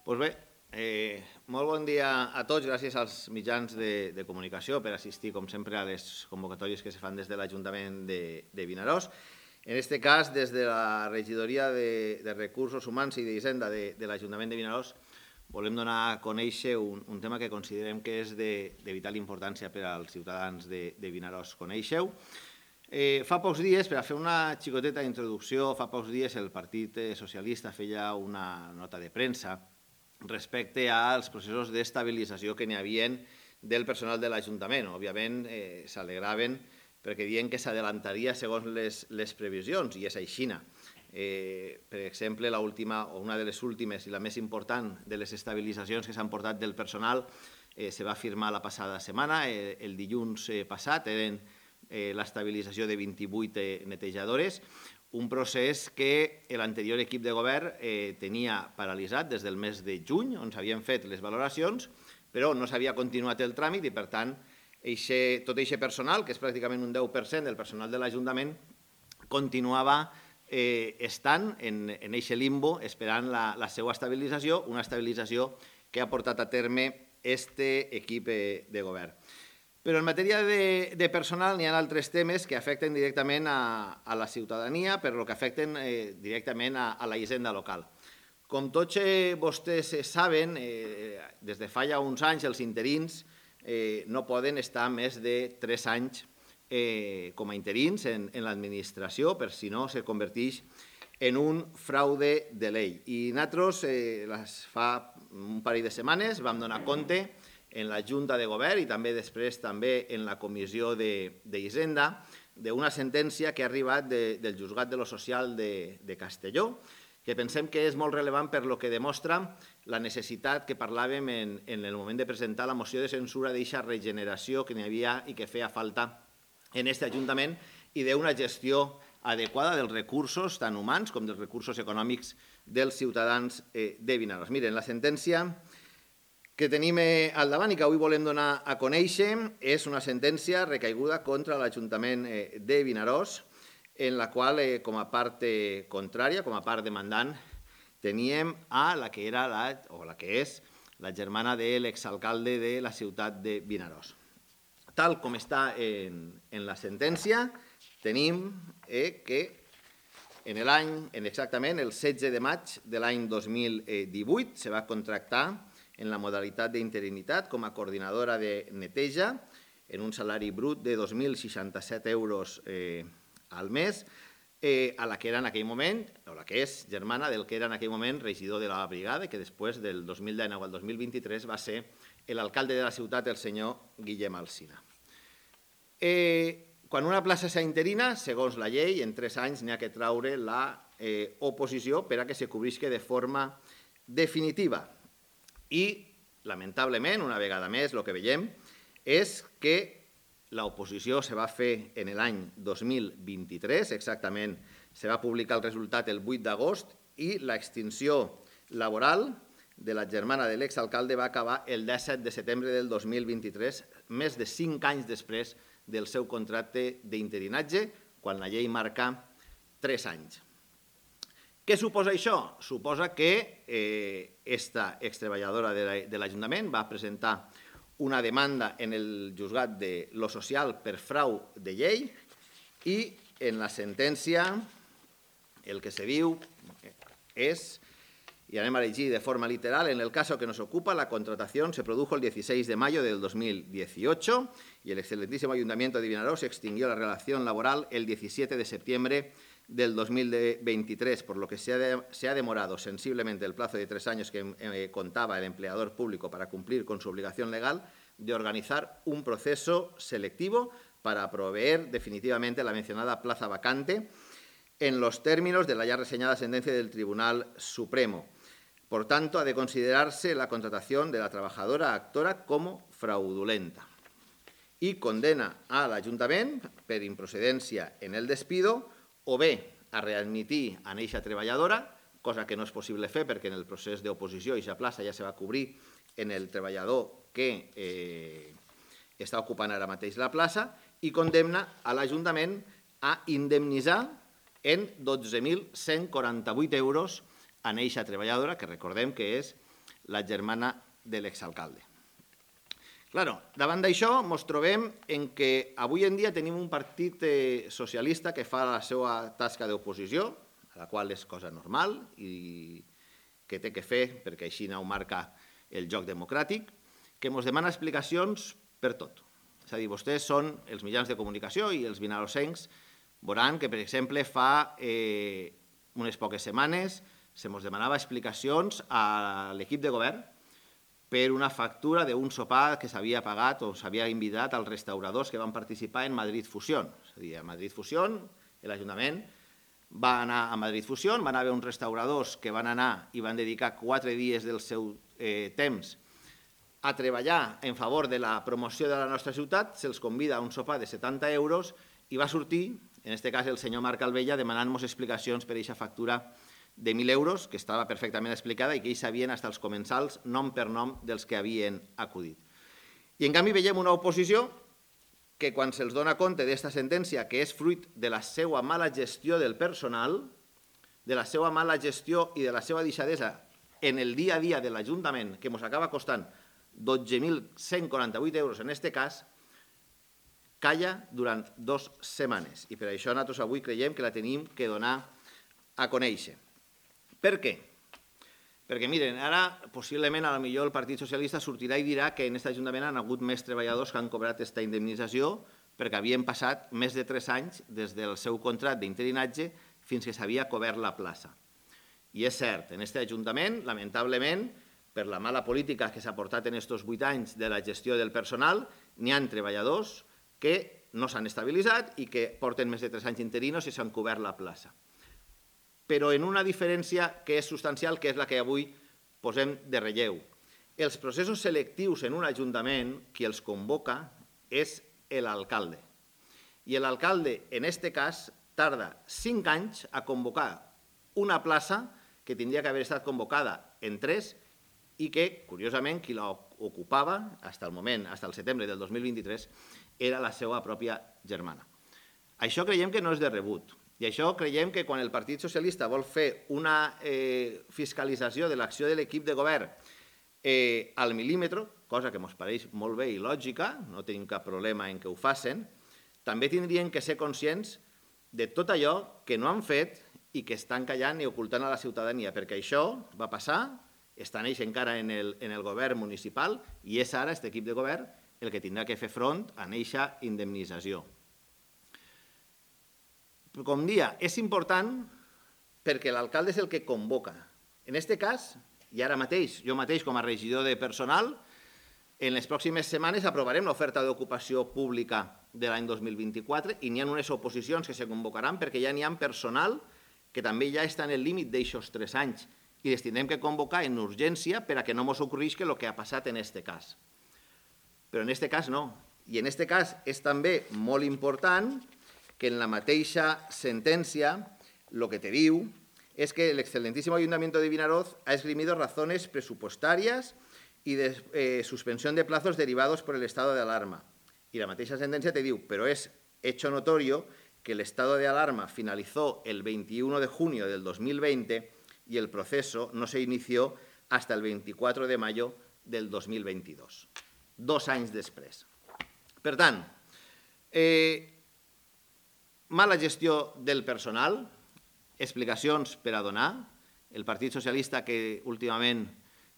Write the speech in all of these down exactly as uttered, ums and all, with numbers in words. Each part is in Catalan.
Doncs bé, eh, molt bon dia a tots. Gràcies als mitjans de, de comunicació per assistir, com sempre, a les convocatòries que se fan des de l'Ajuntament de, de Vinaròs. En aquest cas, des de la Regidoria de, de Recursos Humans i d'Hisenda de, de l'Ajuntament de Vinaròs, volem donar a conèixer un, un tema que considerem que és de, de vital importància per als ciutadans de, de Vinaròs. Coneixeu? Eh, fa pocs dies, per a fer una xicoteta introducció, fa pocs dies el Partit Socialista feia una nota de premsa respecte als processos d'estabilització que n'hi havia del personal de l'Ajuntament. Òbviament, eh, s'alegraven perquè diuen que s'adelantaria segons les, les previsions, i és aixina. Eh, per exemple, la última, o una de les últimes i la més important de les estabilitzacions que s'han portat del personal eh, se va firmar la passada setmana, eh, el dilluns eh, passat, eren eh, l'estabilització de vint-i-vuit eh, netejadores, un procés que l'anterior equip de govern eh, tenia paralitzat des del mes de juny, on s'havien fet les valoracions, però no s'havia continuat el tràmit i, per tant, eixe, tot aquest personal, que és pràcticament un deu per cent del personal de l'Ajuntament, continuava eh, estant en aquest limbo esperant la, la seva estabilització, una estabilització que ha portat a terme aquest equip eh, de govern. Però en matèria de, de personal n'hi ha altres temes que afecten directament a, a la ciutadania, però que afecten eh, directament a, a la hisenda local. Com tots eh, vostès saben, eh, des de fa ja uns anys els interins eh, no poden estar més de tres anys eh, com a interins en, en l'administració, per si no se converteix en un fraude de llei. I nosaltres, eh, les fa un parell de setmanes, vam donar compte en la Junta de Govern i també després també en la Comissió d'Hisenda d'una sentència que ha arribat de, del Juzgat de lo Social de, de Castelló, que pensem que és molt rellevant per lo que demostra la necessitat que parlàvem en, en el moment de presentar la moció de censura d'eixa regeneració que n'hi havia i que feia falta en aquest Ajuntament i d'una gestió adequada dels recursos, tant humans com dels recursos econòmics dels ciutadans eh, de Vinaròs. Miren, la sentència que tenim al davant i que avui volem donar a conèixer és una sentència recaiguda contra l'Ajuntament de Vinaròs, en la qual, com a part contrària, com a part demandant, teníem a la que era la, o la que és la germana de l'exalcalde de la ciutat de Vinaròs. Tal com està en, en la sentència, tenim eh, que en l'any, exactament el setze de maig de l'any dos mil divuit, se va contractar en la modalitat d'interinitat com a coordinadora de neteja en un salari brut de dos mil seixanta-set euros eh, al mes, eh, a la que era en aquell moment, o la que és germana del que era en aquell moment regidor de la brigada, que després del dos mil dinou al dos mil vint-i-tres va ser l'alcalde de la ciutat, el senyor Guillem Alsina. Eh, quan una plaça s'interina, segons la llei, en tres anys n'hi ha que traure l'oposició eh, per a que se cobrisca de forma definitiva. I, lamentablement, una vegada més, el que veiem és que l'oposició se va fer en l'any dos mil vint-i-tres, exactament se va publicar el resultat el vuit d'agost i l'extinció laboral de la germana de l'exalcalde va acabar el disset de setembre del dos mil vint-i-tres, més de cinc anys després del seu contracte d'interinatge, quan la llei marca tres anys. Què suposa això? Suposa que aquesta eh, extreballadora de l'Ajuntament va presentar una demanda en el juzgat de lo social per frau de llei i en la sentència el que se diu és, y anem a llegir de forma literal, en el caso que nos ocupa, la contratación se produjo el dieciséis de mayo del dos mil dieciocho y el excelentísimo Ayuntamiento de Vinaròs extinguió la relación laboral el diecisiete de septiembre del dos mil veintitrés, por lo que se ha, de, se ha demorado sensiblemente el plazo de tres años que eh, contaba el empleador público para cumplir con su obligación legal de organizar un proceso selectivo para proveer definitivamente la mencionada plaza vacante en los términos de la ya reseñada sentencia del Tribunal Supremo. Por tanto, ha de considerarse la contratación de la trabajadora actora como fraudulenta y condena al Ayuntament per improcedència en el despido o bé a readmitir a eixa treballadora, cosa que no és possible fer perquè en el procés d'oposició eixa plaça ja se va cobrir en el treballador que eh, està ocupant ara mateix la plaça, i condemna a l'Ajuntament a indemnitzar en dotze mil cent quaranta-vuit euros a eixa treballadora, que recordem que és la germana de l'exalcalde. Claro, davant d'això ens trobem en que avui en dia tenim un partit socialista que fa la seva tasca d'oposició, a la qual és cosa normal i que té que fer perquè així ho marca el joc democràtic, que ens demana explicacions per tot. És a dir, vostès són els mitjans de comunicació i els vinarosencs veuran que, per exemple, fa unes poques setmanes se ens demanava explicacions a l'equip de govern per una factura d'un sopar que s'havia pagat o s'havia invitat als restauradors que van participar en Madrid Fusión. És a dir, a Madrid Fusión, l'Ajuntament va anar a Madrid Fusión, van haver uns restauradors que van anar i van dedicar quatre dies del seu temps a treballar en favor de la promoció de la nostra ciutat, se'ls convida a un sopar de setanta euros i va sortir, en aquest cas el senyor Marc Albella, demanant-nos explicacions per aquesta factura de mil euros, que estava perfectament explicada i que ells sabien fins als comensals, nom per nom, dels que havien acudit. I en canvi veiem una oposició que quan se'ls dona compte d'aquesta sentència, que és fruit de la seva mala gestió del personal, de la seva mala gestió i de la seva deixadesa en el dia a dia de l'Ajuntament, que ens acaba costant dotze mil cent quaranta-vuit euros en aquest cas, calla durant dues setmanes. I per això nosaltres avui creiem que la tenim que donar a conèixer. Per què? Perquè, miren, ara possiblement a lo millor el Partit Socialista sortirà i dirà que en aquest Ajuntament han hagut més treballadors que han cobrat aquesta indemnització perquè havien passat més de tres anys des del seu contracte d'interinatge fins que s'havia cobert la plaça. I és cert, en aquest Ajuntament, lamentablement, per la mala política que s'ha portat en aquests vuit anys de la gestió del personal, n'hi ha treballadors que no s'han estabilitzat i que porten més de tres anys interinos i s'han cobert la plaça. Però en una diferència que és substancial, que és la que avui posem de relleu. Els processos selectius en un ajuntament, qui els convoca és l'alcalde. I l'alcalde, en aquest cas, tarda cinc anys a convocar una plaça que tindria que haver estat convocada en tres i que, curiosament, qui l'ocupava, fins al moment, fins al setembre del dos mil vint-i-tres, era la seva pròpia germana. Això creiem que no és de rebut. I això creiem que quan el Partit Socialista vol fer una fiscalització de l'acció de l'equip de govern al mil·límetre, cosa que ens pareix molt bé i lògica, no tenim cap problema en que ho facin, també tindrien que ser conscients de tot allò que no han fet i que estan callant i ocultant a la ciutadania, perquè això va passar, estan ells encara en el govern municipal i és ara aquest equip de govern el que tindrà que fer front a aquesta indemnització. Com dia, és important perquè l'alcalde és el que convoca. En aquest cas, i ara mateix, jo mateix com a regidor de personal, en les pròximes setmanes aprovarem l'oferta d'ocupació pública de l'any dos mil vint-i-quatre i n'hi ha unes oposicions que se convocaran perquè ja n'hi ha personal que també ja està en el límit d'aixòs tres anys i les tindrem que convocar en urgència per a que no ens ocorrisca el que ha passat en aquest cas. Però en aquest cas no. I en aquest cas és també molt important que en la mateixa sentència lo que te diu es que el excelentísimo Ayuntamiento de Vinaroz ha esgrimido razones presupuestarias y de eh, suspensión de plazos derivados por el estado de alarma. Y la mateixa sentencia te diu, pero es hecho notorio que el estado de alarma finalizó el veintiuno de junio del dos mil veinte y el proceso no se inició hasta el veinticuatro de mayo del dos mil veintidós. Dos anys després. Per tant, eh, mala gestió del personal, explicacions per a donar. El Partit Socialista, que últimament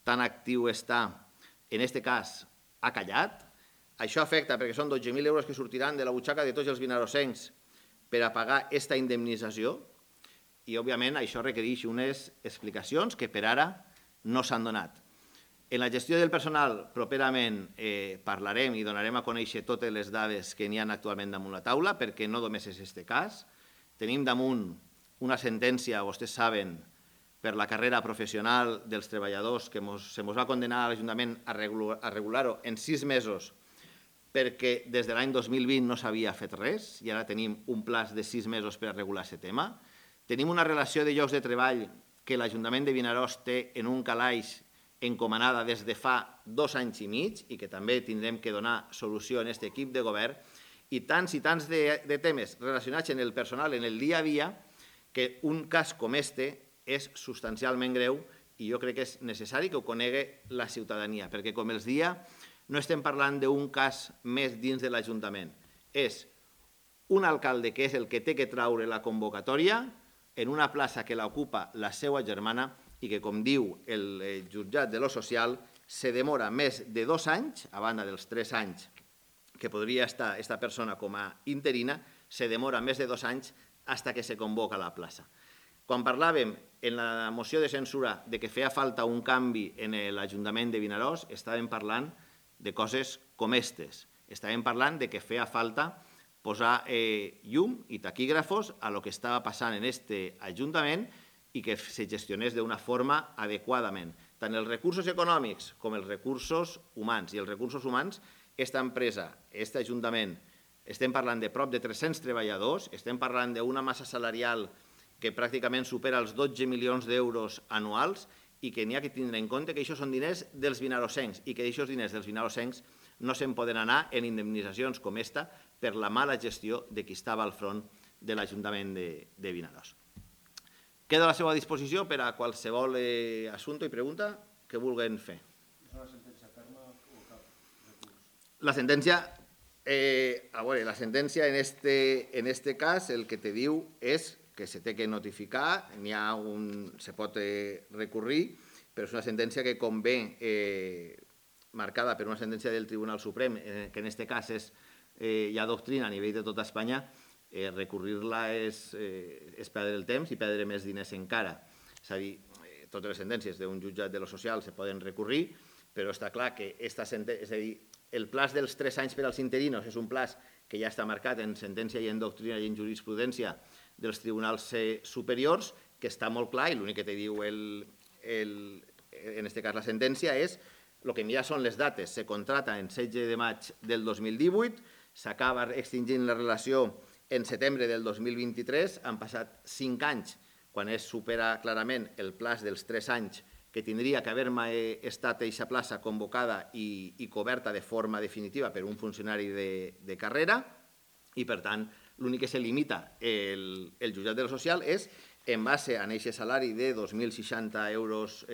tan actiu està, en aquest cas, ha callat. Això afecta perquè són dotze mil euros que sortiran de la butxaca de tots els vinarosencs per a pagar aquesta indemnització i, òbviament, això requereix unes explicacions que per ara no s'han donat. En la gestió del personal, properament parlarem i donarem a conèixer totes les dades que n'hi ha actualment damunt la taula, perquè no només és aquest cas. Tenim damunt una sentència, vostès saben, per la carrera professional dels treballadors que se ens va condenar a l'Ajuntament a regular-ho en sis mesos perquè des de l'any dos mil vint no s'havia fet res i ara tenim un plaç de sis mesos per a regular aquest tema. Tenim una relació de llocs de treball que l'Ajuntament de Vinaròs té en un calaix encomanada des de fa dos anys i mig i que també tindrem que donar solució en aquest equip de govern i tants i tants de temes relacionats amb el personal en el dia a dia que un cas com este és substancialment greu i jo crec que és necessari que ho conegui la ciutadania, perquè, com els dia, no estem parlant d'un cas més dins de l'Ajuntament. És un alcalde que és el que té que traure la convocatòria en una plaça que l'ocupa la seva germana i que, com diu el jutjat de lo social, se demora més de dos anys, a banda dels tres anys que podria estar aquesta persona com a interina, se demora més de dos anys fins que se convoca la plaça. Quan parlàvem en la moció de censura de que feia falta un canvi en l'Ajuntament de Vinaròs, estàvem parlant de coses com aquestes. Estàvem parlant de que feia falta posar llum i taquígrafos a lo que estava passant en aquest Ajuntament i que se gestionés d'una forma adequadament. Tant els recursos econòmics com els recursos humans. I els recursos humans, aquesta empresa, aquest Ajuntament, estem parlant de prop de tres-cents treballadors, estem parlant d'una massa salarial que pràcticament supera els dotze milions d'euros anuals i que n'hi ha que tindre en compte que això són diners dels vinarossencs i que aquests diners dels vinarossencs no se'n poden anar en indemnitzacions com esta per la mala gestió de qui estava al front de l'Ajuntament de Vinaròs. Queda a la seva disposició per a qualsevol assumpte i pregunta que vulguin fer. És una sentència ferma o cap recurs? La sentència, a veure, la sentència en aquest cas el que te diu és que se té que notificar, n'hi ha un, se pot recurrir, però és una sentència que convé marcada per una sentència del Tribunal Suprem, que en aquest cas hi ha doctrina a nivell de tota Espanya, recurrir-la és perdre el temps i perdre més diners encara. És a dir, totes les sentències d'un jutjat de lo social se poden recurrir, però està clar que el plaç dels tres anys per als interinos és un plaç que ja està marcat en sentència i en doctrina i en jurisprudència dels tribunals superiors, que està molt clar i l'únic que te diu en aquest cas la sentència és el que ja són les dates. Se contracta en setze de maig del dos mil divuit, s'acaba extingint la relació en setembre del dos mil vint-i-tres, han passat cinc anys quan es supera clarament el plaç dels tres anys que tindria que haver-me estat aquesta plaça convocada i coberta de forma definitiva per un funcionari de carrera i, per tant, l'únic que se limita el jutjat de lo social és, en base a aquest salari de dos mil seixanta euros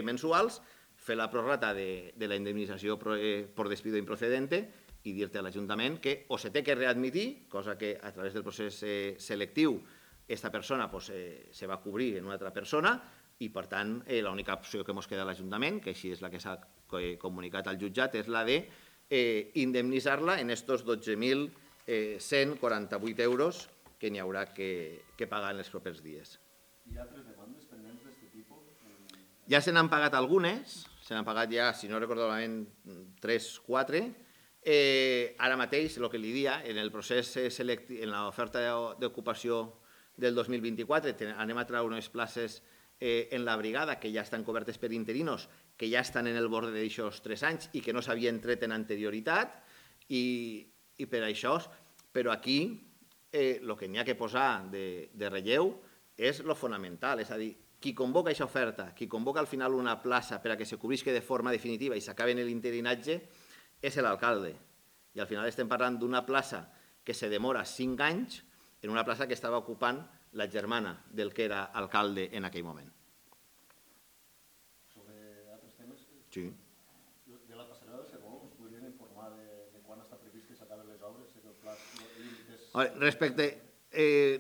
mensuals, fer la prorrata de la indemnització per despido improcedente i dir-te a l'Ajuntament que o se té que readmitir, cosa que a través del procés selectiu aquesta persona se va cobrir en una altra persona i, per tant, l'única opció que ens queda a l'Ajuntament, que així és la que s'ha comunicat al jutjat, és la d'indemnitzar-la en aquests dotze mil cent quaranta-vuit euros que n'hi haurà que pagar en els propers dies. Hi ha altres demandes pendents d'aquest tipus? Ja se n'han pagat algunes, se n'han pagat ja, si no recordo malament, tres, quatre. Ara mateix, el que li dia, en el procés selectiu, en l'oferta d'ocupació del dos mil vint-i-quatre, anem a treure unes places en la brigada que ja estan cobertes per interinos, que ja estan en el bord d'aixòs tres anys i que no s'havien tret en anterioritat, i per això, però aquí el que n'hi ha que posar de relleu és el fonamental, és a dir, qui convoca aquesta oferta, qui convoca al final una plaça per a que se cobrisca de forma definitiva i s'acabi en l'interinatge, és l'alcalde. I al final estem parlant d'una plaça que se demora cinc anys en una plaça que estava ocupant la germana del que era alcalde en aquell moment. Sobre altres temes? Sí. De la passarel·la del Segó, us podrien informar de quan està previst que s'acaben les obres? Respecte,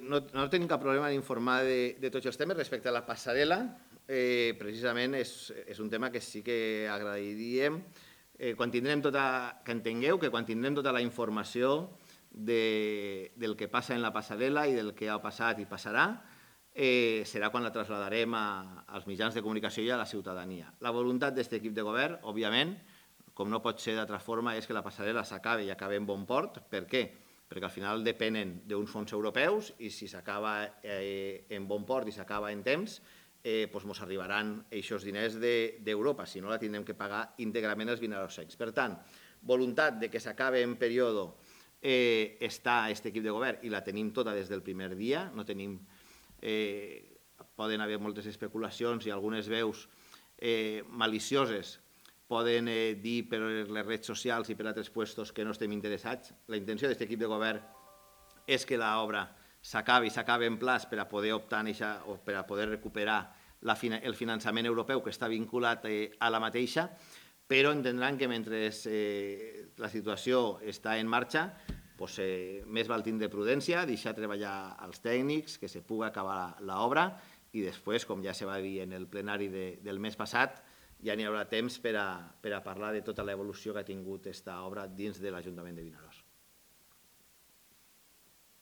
no tenim cap problema en informar de tots els temes. Respecte a la passarel·la, precisament és un tema que sí que agrairíem quan tindrem tota, que entengueu que quan tindrem tota la informació del que passa en la passarel·la i del que ha passat i passarà, serà quan la trasladarem als mitjans de comunicació i a la ciutadania. La voluntat d'aquest equip de govern, òbviament, com no pot ser d'altra forma, és que la passarel·la s'acabi i acabi en bon port. Per què? Perquè al final depenen d'uns fons europeus i si s'acaba en bon port i s'acaba en temps, ens arribaran aquests diners d'Europa, si no la tindrem que pagar íntegrament els vinarossencs. Per tant, voluntat que s'acabi en període està aquest equip de govern i la tenim tota des del primer dia, no tenim, poden haver moltes especulacions i algunes veus malicioses poden dir per les redes socials i per altres puestos que no estem interessats. La intenció d'aquest equip de govern és que l'obra s'acabi i s'acabi en plaç per a poder optar o per a poder recuperar la, el finançament europeu que està vinculat eh, a la mateixa, però entendran que mentre eh, la situació està en marxa, pues, eh, més val tindre prudència, deixar treballar els tècnics, que se pugui acabar l'obra i després, com ja se va dir en el plenari de, del mes passat, ja n'hi haurà temps per a, per a parlar de tota l'evolució que ha tingut aquesta obra dins de l'Ajuntament de Vinaròs.